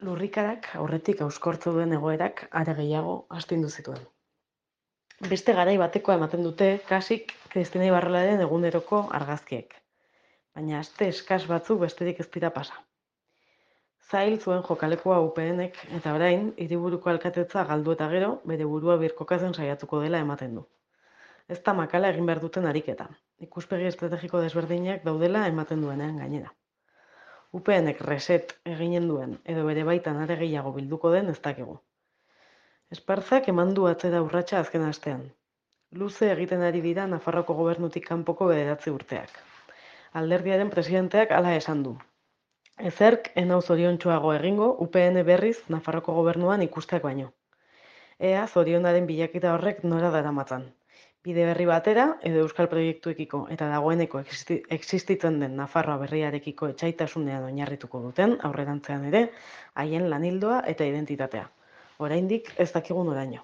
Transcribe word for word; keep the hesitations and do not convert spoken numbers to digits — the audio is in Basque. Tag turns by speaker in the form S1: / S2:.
S1: Lurrikarak aurretik hauskortu duen egoerak are gehiago astindu zituen. Beste garai batekoa ematen dute kasik Kristina Ibarrolaren eguneroko argazkiek, baina aste eskas batzuk besterik ez dira pasa. Zail zuen jokalekua U P Nek eta orain hiriburuko alkatetza galdu eta gero bere burua birkokatzen saiatuko dela ematen du. Ez da makala egin behar duten ariketa, ikuspegi estrategiko desberdinak daudela ematen duenean gainera. U P Nek reset eginen duen edo bere baitan are gehiago bilduko den ez dakigu. Esparzak eman du atzera urratsa azken astean. Luze egiten ari dira Nafarroako gobernutik kanpoko bederatzi urteak. Alderdiaren presidenteak hala esan du. Ezerk enau zoriontsuago egingo U P N berriz Nafarroako gobernuan ikusteak baino. Ea zorionaren bilaketa horrek nora daramatzan. Bide berri batera edo euskal proiektuekiko eta dagoeneko existitzen den Nafarroa berriarekiko etsaitasunean oinarrituko duten aurrerantzean ere haien lanildoa eta identitatea. Oraindik ez dakigu noraino.